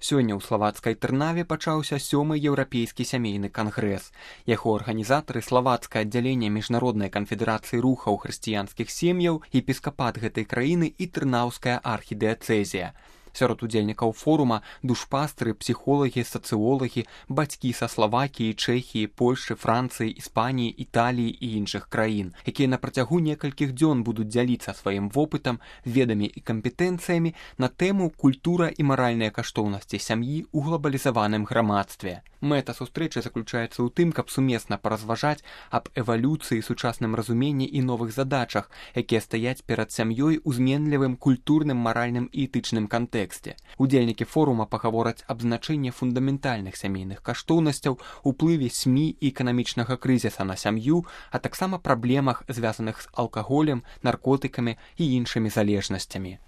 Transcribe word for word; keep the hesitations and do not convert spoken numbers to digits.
Сёння ў славацкай Трнаве пачаўся сёмы еўрапейскі сямейны кангрэс. Яго арганізатары славацкае аддзяленне міжнароднай канфедэрацыі рухаў хрысціянскіх сем'яў, епіскапат гэтай краіны і трынаўская архідыяцэзія. Сярод удзельнікаў форума душпастры, псіхолагі, сацыолагі, бацькі са Славакіі, Чэхіі, Польшы, Францыі, Іспаніі, Італіі і іншых краін, якія на працягу некалькіх дзён будуць дзяліцца сваім вопытам, ведамі і кампетэнцыямі на тэму культура і маральныя каштоўнасці сям'і ў глабалізаваным грамадстве. Мэта сустрэчы заключаецца ў тым, каб сумесна паразважаць аб эвалюцыі, сучасным разуменні і новых задачах, якія стаяць перад сям'ёй у зменлівым культурным, маральным і этычным кантэксце. Удзельнікі форума пагавораць аб значэнні фундаментальных сямейных каштоўнасцяў, уплыве СМІ і эканамічнага крызіса на сям'ю, а таксама праблемах, звязаных з алкаголем, наркотыкамі і іншымі залежнасцямі.